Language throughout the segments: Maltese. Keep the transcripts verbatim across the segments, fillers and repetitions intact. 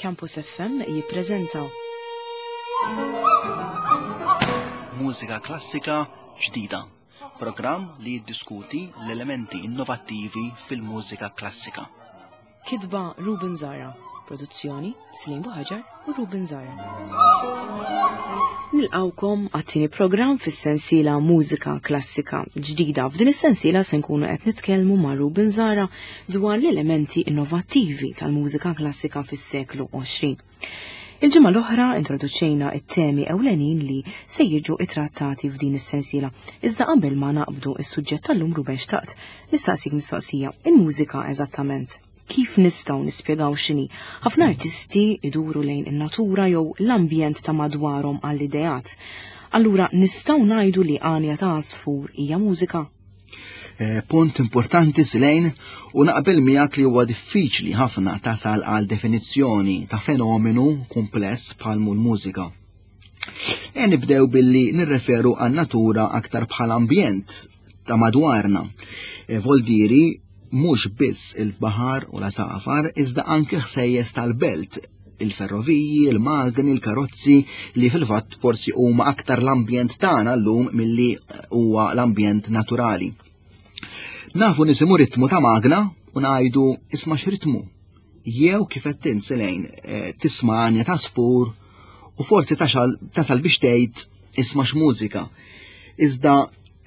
Campus F M jippreżentaw Mużika Klassika Ġdida. Programm li jiddiskuti l-elementi innovattivi fil-mużika klassika. Kitba Ruben Zara, produzzjoni Slim Buħaġar u Ruben Zara. Nilqawkom għat-tieni programm fis-sensiela Mużika Klassika Ġdida. F'din is-sensiela se nkunu qed nitkellmu ma' Ruben Zara dwar l-elementi innovattivi tal-mużika klassika fis-seklu għoxrin. Il-ġimgħa l-oħra introduċejna it-temi ewlenin li se jiġu ittrattati f'din is-sensiela. Iżda qabel ma naqbdu is-suġġett tal-lum, Ruben, xtaqt nistaqsik mistoqsija. Il-mużika eżattament kif nistgħu nispjegaw x'inhi? Ħafna artisti iduru lejn in-natura jew l-ambjent ta' madwarhom għall-ideat. Allura nistgħu ngħidu li għanja ta' għasfur hija mużika? Eh, punt importanti, Silejn, u naqbel miegħek li huwa diffiċli ħafna tasal għal definizzjoni ta' fenomenu kumpless bħal l-mużika. E nibdew billi nirreferu għan natura aktar bħal ambjent ta' madwarna. E, voldiri mhux biss il-baħar u l-għasafar, iżda anke ħsejjes tal-belt, il-ferroviji, il-magni, il-karozzi, li fil-fatt forsi huma aktar l-ambjent tagħna llum milli huwa l-ambjent naturali. Nafu nisimgħu ritmu ta' magna u ngħidu, "Isma' x'ritmu." Jew kif qed tinsilejn eh, tisma' għanja ta' għasfur u forsi tasal biex tgħid, "Isma' x'mużika." Iżda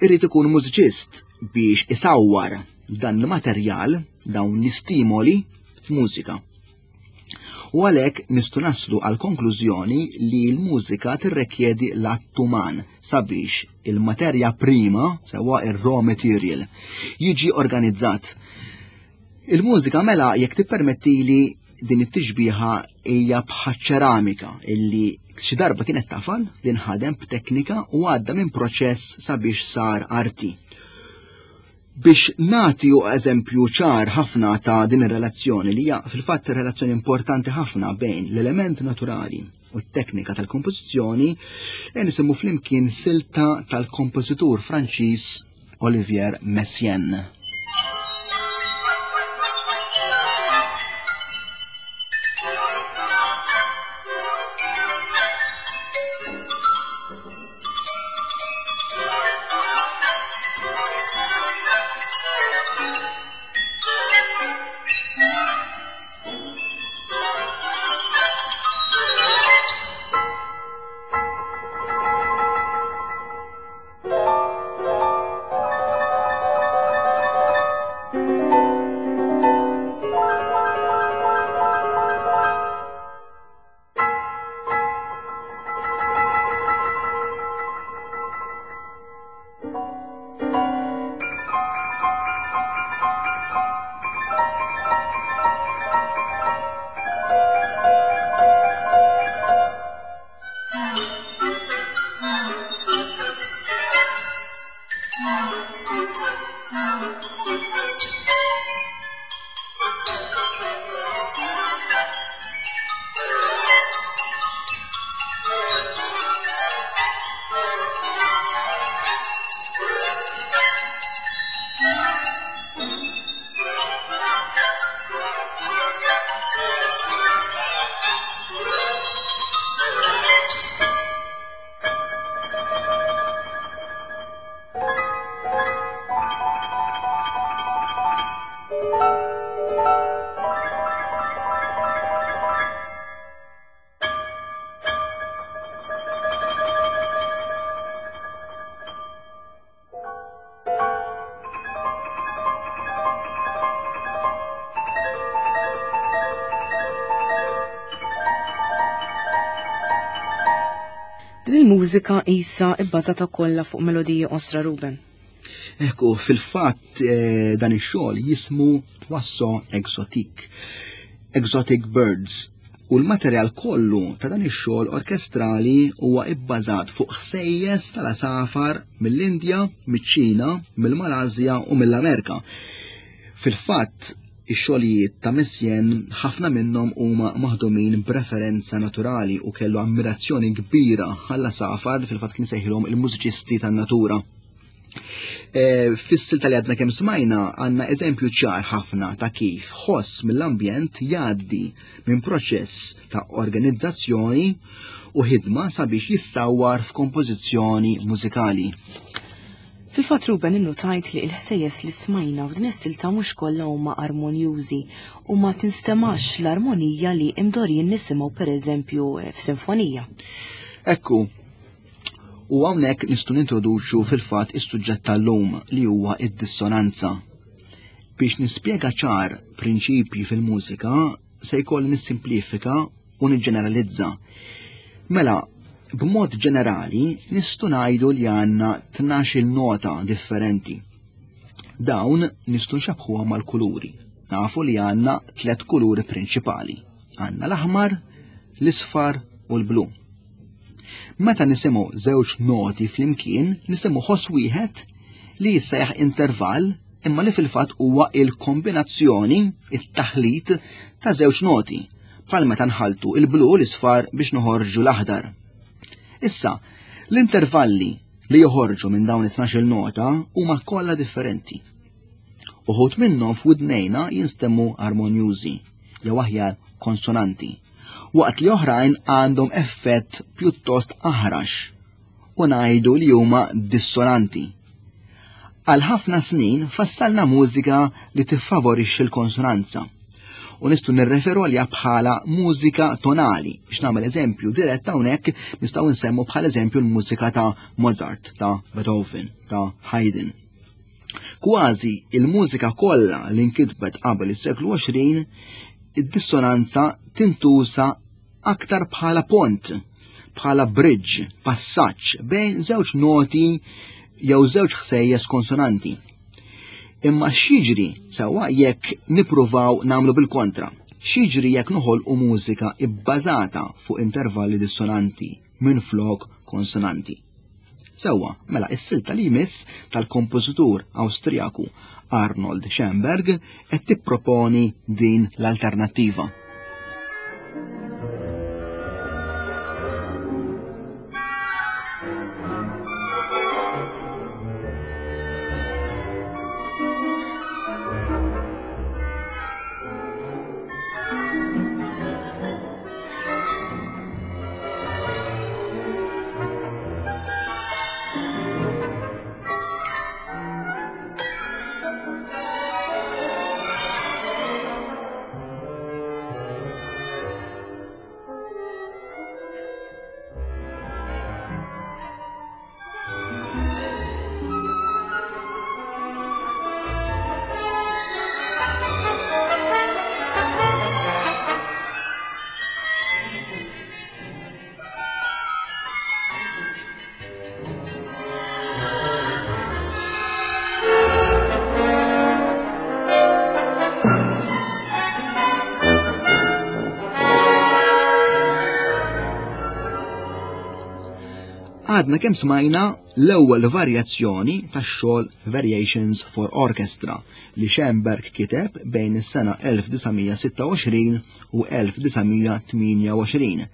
irrid ikun mużiċist biex isawwar dan il-materjal, dawn l-istimoli f'mużika. U għalhekk nistgħu naslu għal konklużjoni li l-mużika tirrekjedi l-att uman sabiex il-materja prima, sewa ir-raw material, jiġi organizzat. Il-mużika mela, jekk tippermettili din it-tixbiħa, hija bħaċ-ċeramika illi xi darba kienet tafal li nħadem b'teknika u għadda minn proċess sabiex sar arti. Biex nagħti eżempju ċar ħafna ta' din ir-relazzjoni, li hija fil-fatt relazzjoni importanti ħafna bejn l-element naturali u t-teknika tal-kompożizzjoni, e nisimgħu flimkien silta tal-kompożitur Franċiż Olivier Messiaen. Din il-mużika isa ibbażata kollha fuq melodiji qosra, Ruben. Ekku, fil-fatt eh, dan ix-xogħol jismu Oiseaux Exotiques, Exotic Birds. U l-materjal kollu ta' dan ix-xogħol orkestrali huwa ibbażat fuq ħsejjes tal-għasafar mill-Indja, miċ-Ċina, mill-Malasja u mill-Amerika. Fil-fatt, ix-xogħlijiet ta' Messiaen ħafna minnhom huma maħdumin b'referenza naturali u kellu ammirazzjoni kbira għall-għasafar, fil-fatt kien sejħilhom il-mużiċisti tan-natura. E, Fis-silta li għadna kemm smajna għandna eżempju ċar ħafna ta' kif ħoss mill-ambjent jgħaddi minn proċess ta' organizzazzjoni u ħidma sabiex jissawwar f'kompożizzjoni mużikali. Fil-fatt Ruben innutajt li l-ħsejjes li smajna f'din is-silta mhux kollha huma armonjużi u ma tinstemax l-armonija li imdorrijin nisimgħu pereżempju f'sinfonija. Ekku, u hawnhekk nistgħu nintroduċu fil-fatt is-suġġett tal-lum li huwa id-dissonanza. Biex nispjega ċar prinċipji fil-mużika se jkolli nissimplifika u niġġeneralizza. Mela, b'mod ġenerali nistgħu ngħidu li għandna tnax-il nota differenti. Dawn nistgħu nxabbhuha mal-kuluri. Nafu li għandna tliet kuluri prinċipali. Għandna l-aħmar, l-isfar u l-blu. Meta nisimgħu żewġ noti flimkien, nisimgħu ħoss wieħed li jissejjaħ intervall imma li fil-fatt huwa il-kombinazzjoni, it-taħlit ta' żewġ noti, bħal meta nħaltu il-blu u l-isfar biex noħorġu l-aħdar. Issa, l-intervalli li joħorġu minn dawn it-tnax-il nota huma kollha differenti. Uħud minnhom f'widnejna jinstemmu armonjużi, jew aħjar konsonanti, waqt li oħrajn għandhom effett pjuttost aħrax u ngħidu li huma dissonanti. Għal ħafna snin fassalna mużika li tiffavorixxi l-konsonanza u nistgħu nirreferu għaliha bħala mużika tonali. Biex nagħmel eżempju dirett hawnhekk nistgħu nsemmu bħala eżempju l-mużika ta' Mozart, ta' Beethoven, ta' Haydn. Kważi il-mużika kollha li nkitbet qabel is-seklu għoxrin, id-dissonanza tintuża aktar bħala pont, bħala bridge, passaġġ bejn żewġ noti jew żewġ ħsejjes konsonanti. Imma x'jiġri sewwa jekk nippruvaw nagħmlu bil-kontra? X'jiġri jekk noħolqu mużika bbażata fuq intervalli dissonanti minflok konsonanti? Sewwa, mela is-silta li jmiss tal-kompożitur Awstrijaku Arnold Schoenberg qed tipproponi din l-alternattiva. Għadna kemm smajna l-ewwel varjazzjoni tax-xogħol Variations for Orchestra li Schoenberg kiteb bejn is-sena elf disa' mija sitta u għoxrin u elf disa' mija tmienja u għoxrin.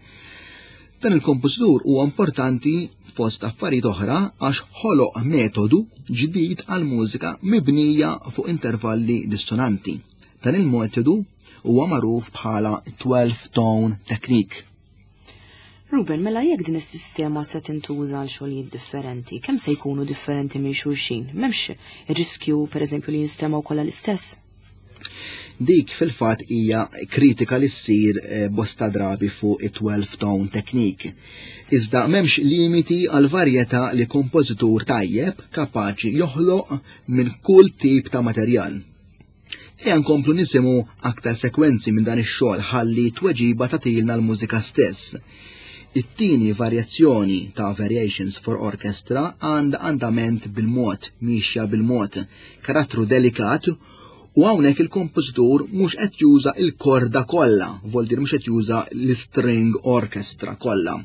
Dan il-kompożitur huwa importanti fost affarijiet oħra għax ħoloq metodu ġdid għal mużika mibnija fuq intervalli dissonanti. Dan il-metodu huwa magħruf bħala twelve tone technique. Ruben, mela jekk din is-sistema se tintuża għal xogħlijiet differenti, kemm se jkunu differenti minn xulxin? M'hemmx ir-riskju pereżempju li jinstemgħu kollha l-istess? Dik fil-fatt hija kritika li ssir, eh, bosta drabi fuq it-twelve tone technique. Iżda m'hemmx limiti għal varjetà li kompożitur tajjeb kapaċi joħloq minn kull tip ta' materjal. Ejja nkomplu nisimgħu aktar sekwenzi minn dan ix-xogħol ħalli tweġiba tagħtilna l-mużika stess. It-tieni varjazzjoni ta' Variations for Orchestra għandha andament bil-mod, mixja bil-mod, karattru delikat, u hawnhekk il-kompożitur mhux qed juża l-korda kollha, vol dir mhux qed juża l-string orchestra kollha.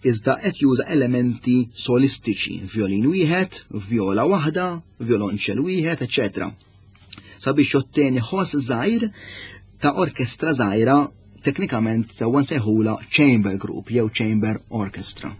Iżda qed juża elementi solistiċi, violin wieħed, viola waħda, violonċell wieħed, eċċetera. Sabiex jotteni ħoss żgħir ta' orkestra żgħira, teknikament sewwa nsejħula chamber group jew chamber orchestra.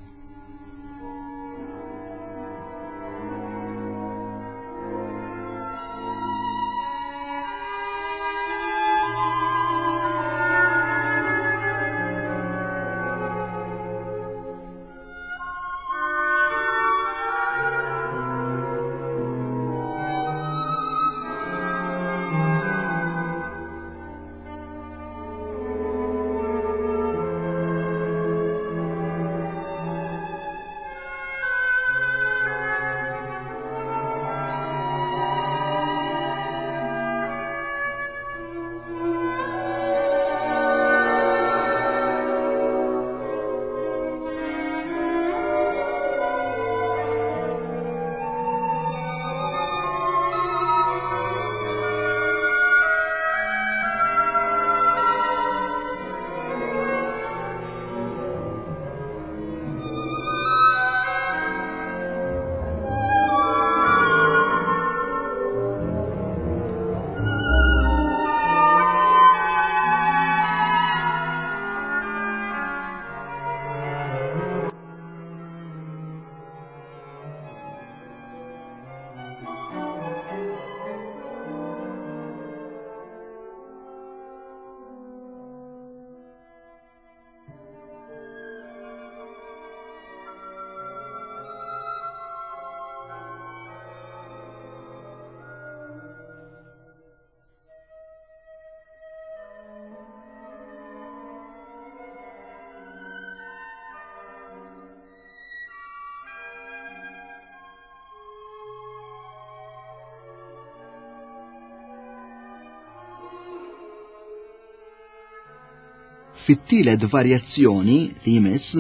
Fit-tielet varjazzjoni li jmiss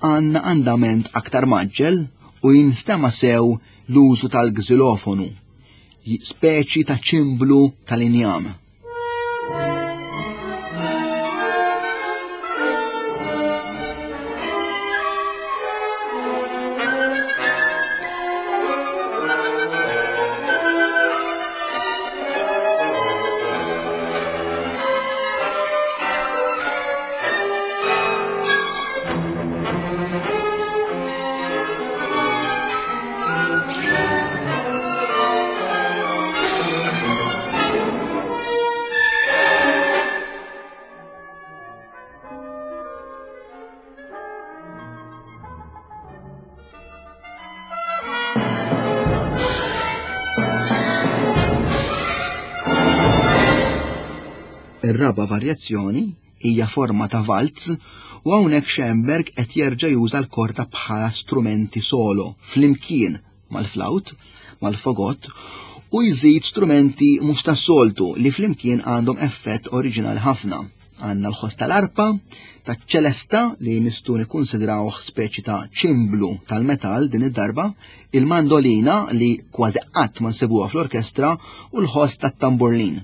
għandna andament aktar maġġel u jinstema' sew l-użu tal-gżilofonu, speċi ta' ċimblu tal-injam. Ir-raba' varjazzjoni hija forma ta' valz u hawnhekk Schoenberg qed jerġa' juża l-korda bħala strumenti solo flimkien mal-flawt, mal-fogott u jżid strumenti mhux tas-soltu li flimkien għandhom effett oriġinali ħafna. Għandna l-ħoss tal-arpa, taċ-ċelesta li nistgħu nikkunsidrawh speċi ta' ċimblu tal-metall din id-darba, il-mandolina li kważi qatt ma nsibuha fl-orkestra u l-ħoss tat-tamburlin.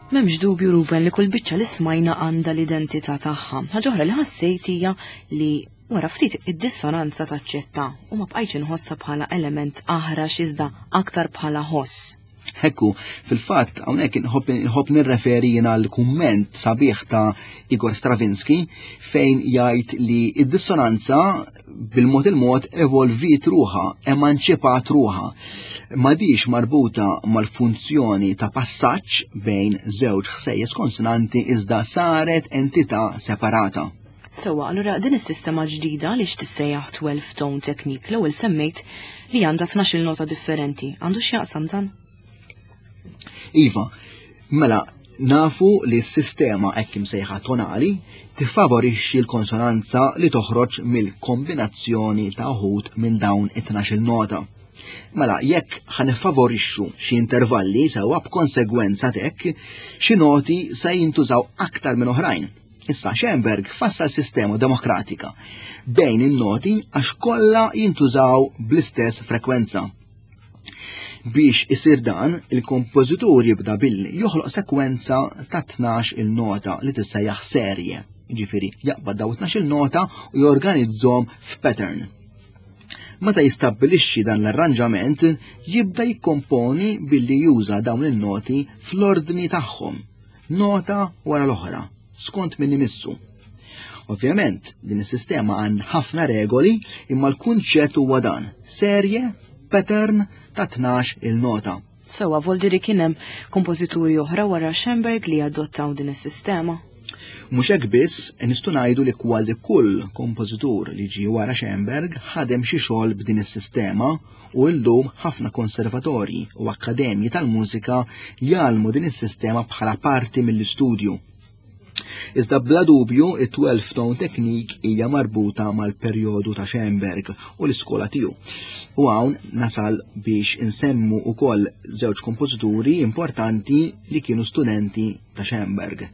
M'hemmx dubju, Ruben, li kull biċċa li smajna għandha l-identità tagħha. Ħaġa oħra li ħassejt hija li wara ftit id-dissonanza taċċetta u ma bqajtx inħossha bħala element aħrax iżda aktar bħala ħoss. Hekku, fil-fatt hawnhekk inħobb nirreferi jiena l-kumment sabiħ ta' Igor Stravinsky fejn jgħid li id-dissonanza bil-mod il-mod evolviet ruħha, emanċipat ruħha. M'għadix marbuta mal-funzjoni ta' passaġġ bejn żewġ ħsejjes konsonanti iżda saret entità separata. Sewwa, allura din is-sistema ġdida li x'tissejjaħ twelve tone technique l-ewwel semmejt li għandha tnax-il nota differenti. Għandu x'jaqsam dan? Iva, mela nafu li s-sistema hekk imsejħa tonali tiffavorixxi l-konsonanza li toħroġ mill-kombinazzjoni ta' uħud minn dawn it-tnax-il nota. Mela, jekk ħanifavorixxu xi intervalli sewwa b'konsegwenza t'hekk, xi noti se jintużaw aktar minn oħrajn. Issa Schoenberg fassal sistema demokratika bejn in-noti għax kollha jintużaw bl-istess frekwenza. Biex isir dan, il-kompożitur jibda billi joħloq sekwenza ta' tnax il-nota li tissejjaħ serje. Jiġifieri jaqbad daw tnax il-nota u jorganizzhom f'pattern. Meta jistabbilixxi dan l-arranġament, jibda jikkomponi billi juża dawn il-noti fl-ordni tagħhom, nota wara l-oħra, skont min imissu. Ovvjament, din is-sistema għand ħafna regoli, imma l-kunċett huwa dan: serje, pattern ta' tnax il-nota. Sewwa, voldiri kien hemm kompożituri oħra wara Schoenberg li adottaw din is-sistema. Mhux hekk biss, nistgħu ngħidu li kważi kull kompożitur li ġie wara Schoenberg ħadem xi xogħol b'din is-sistema u llum ħafna konservatorji u akkademji tal-mużika jgħallmu din is-sistema bħala parti mill-istudju. Iżda bla dubju it-twelve tone technique hija marbuta mal-perjodu ta' Schoenberg u l-iskola tiegħu. U hawn nasal biex insemmu wkoll żewġ kompożituri importanti li kienu studenti ta' Schoenberg.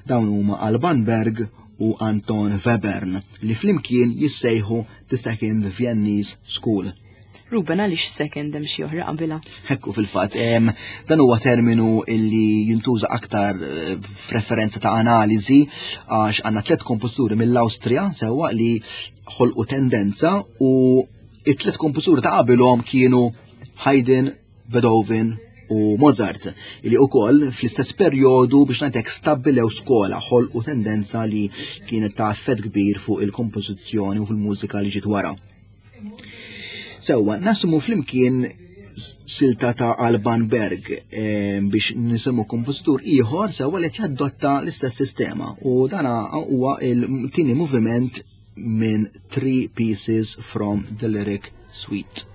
Dawn huma Alban Berg u Anton Webern li flimkien jissejħu The Second Viennese School. Ruben, għaliex second hemm xi oħra qabilha? Hekku fil-fatt, dan huwa terminu illi jintuża aktar eh, f'referenza ta' analiżi għax għandna tliet kompożituri mill-Awstrija sewwa li ħolqu tendenza u it-tliet kompożituri ta' qabilhom kienu Haydn, Beethoven u Mozart, li wkoll fl-istess perjodu biex ngħidlek stabbilew skola, ħolqu tendenza li kienet ta' effett kbir fuq il-kompożizzjoni u fil-mużika li ġiet wara. Sewwa, nasumu flimkien silta ta' Alban Berg eh, biex nisimgħu kompożitur ieħor sewwa li jadotta l-istess sistema u dana huwa il-tieni moviment minn Three Pieces from the Lyric Suite.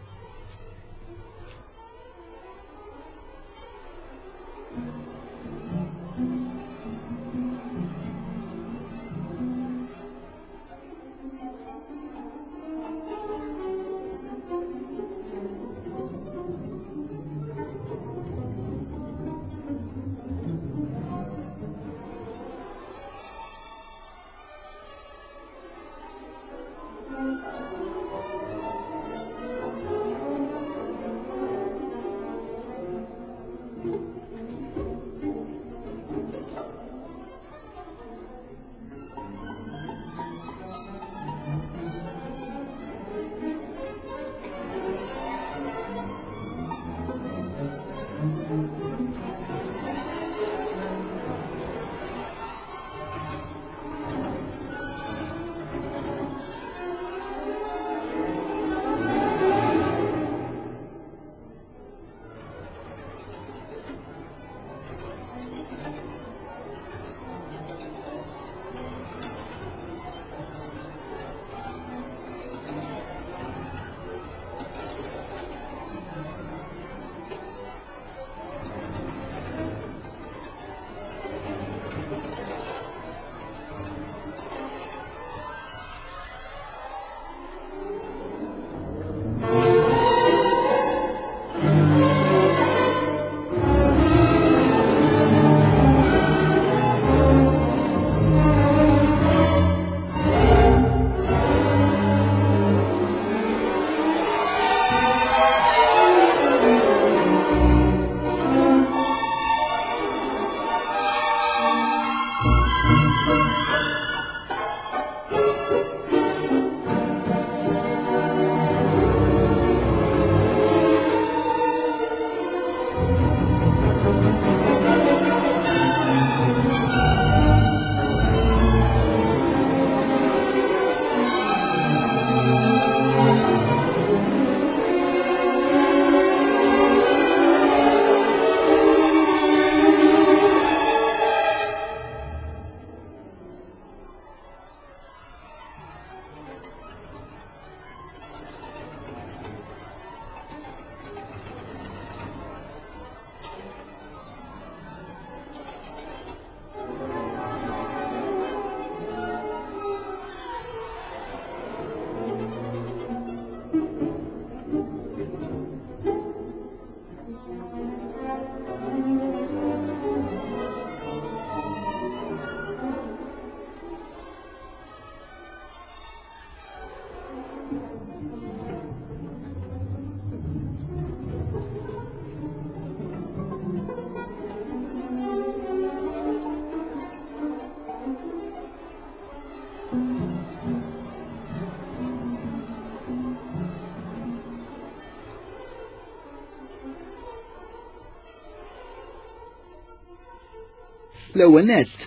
L-ewwel nett,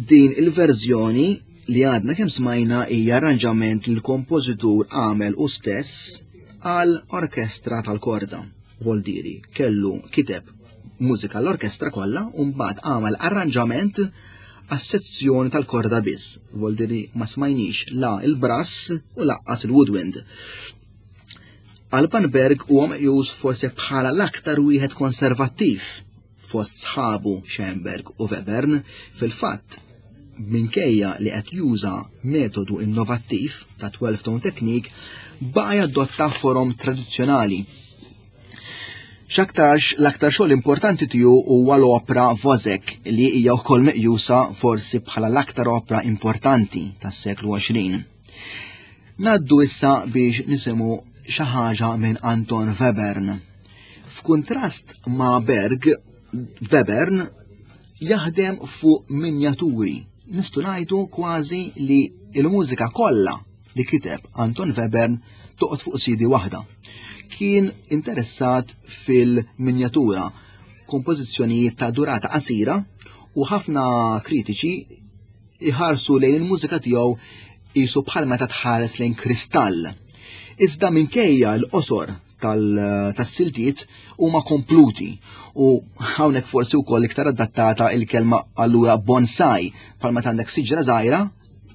din il-verżjoni li għadna kemm smajna hija arranġament li l-kompożitur għamel u stess għal orkestra tal-korda. Voldiri, kellu kiteb mużika l-orkestra kollha u mbagħad għamel arranġament għas-sezzjoni tal-korda biss. Voldiri ma smajniex la il-brass u laqqas il-woodwind. Alban Berg huwa meqjus forsi bħala l-aktar wieħed konservattiv fost sħabu Schoenberg u Webern. Fil-fatt, minkejja li qed juża metodu innovattiv ta' twelve tone technique, baqa' jadotta forom tradizzjonali. X'aktarx l-aktar xogħol importanti tiegħu huwa l-opra Wozzeck, li hija wkoll meqjusa forsi bħala l-aktar opra importanti tas-seklu għoxrin. Naddu issa biex nisimgħu xi ħaġa minn Anton Webern. F'kuntrast ma' Berg, Webern jaħdem fuq minjaturi. Nistgħu ngħidu kważi li l-mużika kollha li kiteb Anton Webern toqgħod fuq C D waħda. Kien interessat fil-minjatura, kompożizzjonijiet ta' durata qasira, u ħafna kritiċi iħarsu lejn il-mużika tiegħu qisu bħal meta tħares lejn kristall. Iżda minkejja l-qosor tas-siltiet huma kompluti, u hawnhekk forsi wkoll iktar adattata il-kelma allura bonsai, bħal meta għandek siġra żgħira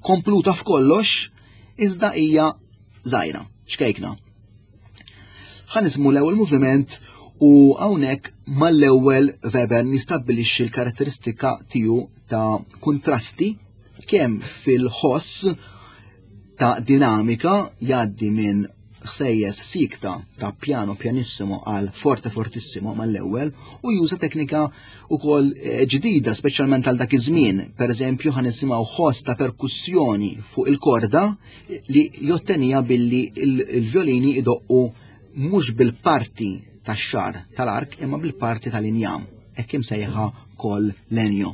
kompluta f'kollox iżda hija żgħira, xkejkna. Ħa nismu l-ewwel moviment u hawnhekk mal-ewwel Webern jistabbilixxi l-karatteristika tiegħu ta' kontrasti kemm fil-ħoss ta' dinamika jgħaddi minn ħsejjes sikta ta' piano pianissimo għal forte fortissimo mal-ewwel, u juża teknika wkoll ġdida speċjalment għal dak iż-żmien. Pereżempju ħa nisimgħu ħoss ta' perkussjoni fuq il-korda li jottenija billi il-violini idoqqu mhux bil-parti tax-xar tal-ark imma bil-parti tal-injam, hekk imsejħa kol legno.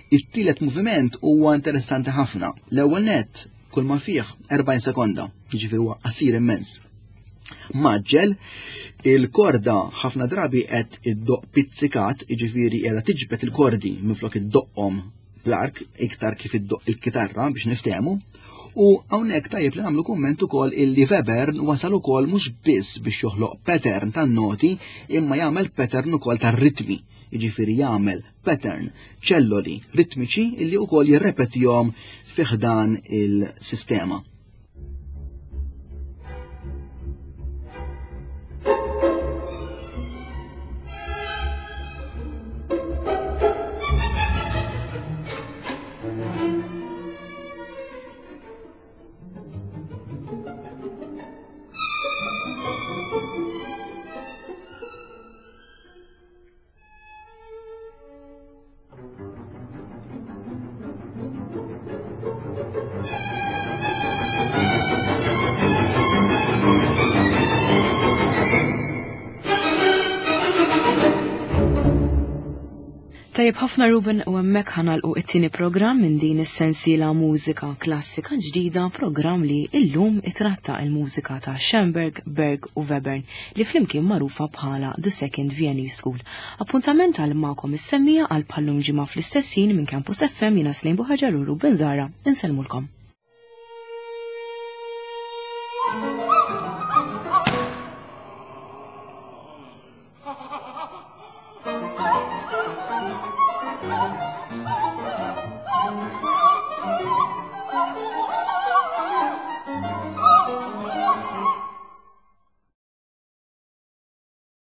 It-tielet moviment huwa interessanti ħafna. L-ewwel nett kull ma fih erbgħin sekonda, jiġifieri huwa qasir immens. Maġġel, il-korda ħafna drabi qed iddoq pizzikat, jiġifieri qiegħda tiġbed il-kordi minflok iddoqqhom bl-ark iktar kif iddoq il-kitarra biex niftehmu. U hawnhekk tajjeb li nagħmlu kumment ukoll illi Webern wasal ukoll mhux biss biex joħloq pattern tan-noti imma jagħmel pattern ukoll tar-ritmi. Jiġifieri jagħmel pattern ċelloli ritmiċi illi wkoll jirrepetihom fi ħdan il-sistema. Tajjeb ħafna Ruben u hemmhekk ħa nagħlqu it-tieni programm minn din is-sensiela mużika klassika ġdida, programm li illum itratta il-mużika ta' Schoenberg, Berg u Webern li flimkien magħrufa bħala The Second Viennese School. Appuntament għal magħkom is-semmiegħa għal bħal-lum ġimgħa fl-istess ħin minn Campus F M jiena Slejn Buħaġar u Ruben Zahra insellmulkom.